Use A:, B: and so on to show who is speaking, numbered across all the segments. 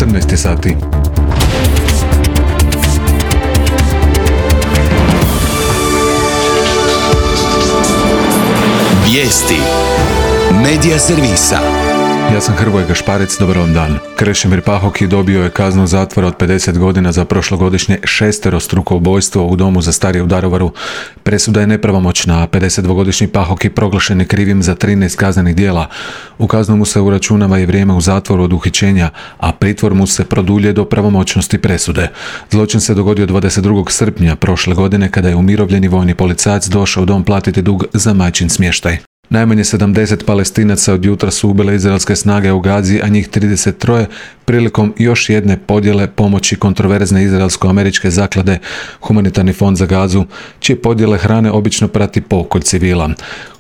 A: 14 sati.
B: Vijesti Medija servisa.
A: Ja sam Hrvoje Gašparec, dobar vam dan. Krešimir Pahoki dobio je kaznu zatvora od 50 godina za prošlogodišnje šesterostruko ubojstvo u domu za starije u Daruvaru. Presuda je nepravomoćna, a 52-godišnji Pahoki proglašen je krivim za 13 kaznenih djela. U kaznu mu se uračunava i vrijeme u zatvoru od uhićenja, a pritvor mu se produljuje do pravomoćnosti presude. Zločin se dogodio 22. srpnja prošle godine kada je umirovljeni vojni policajac došao u dom platiti dug za majčin smještaj. Najmanje 70 Palestinaca od jutra su ubile izraelske snage u Gazi, a njih 33 prilikom još jedne podjele pomoći kontroverzne izraelsko-američke zaklade Humanitarni fond za Gazu, čije podjele hrane obično prati pokolj civila.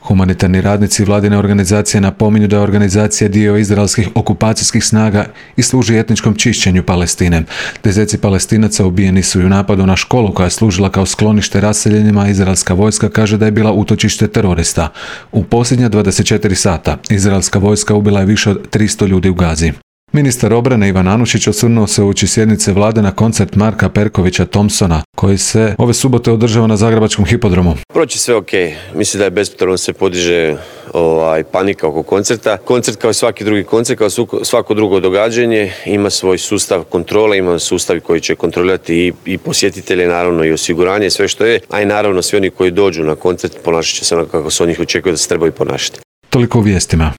A: Humanitarni radnici vladine organizacije napominju da je organizacija dio izraelskih okupacijskih snaga i služi etničkom čišćenju Palestine. Deseci Palestinaca ubijeni su i u napadu na školu koja je služila kao sklonište raseljenima. Izraelska vojska kaže da je bila utočište terorista. U posljednja 24 sata izraelska vojska ubila je više od 300 ljudi u Gazi. Ministar obrane Ivan Anušić osvrnuo se uoči sjednice vlade na koncert Marka Perkovića Thompsona, koji se ove subote održava na Zagrebačkom hipodromu.
C: Proći sve ok. Mislim da je bespotrebno se podiže panika oko koncerta. Koncert kao i svaki drugi koncert, kao svako drugo događanje, ima svoj sustav kontrole, ima sustav koji će kontrolirati i posjetitelje, naravno i osiguranje, sve što je, a i naravno svi oni koji dođu na koncert ponašat će se onako kako se od njih očekuje da se trebaju ponašati.
A: Toliko u vijestima.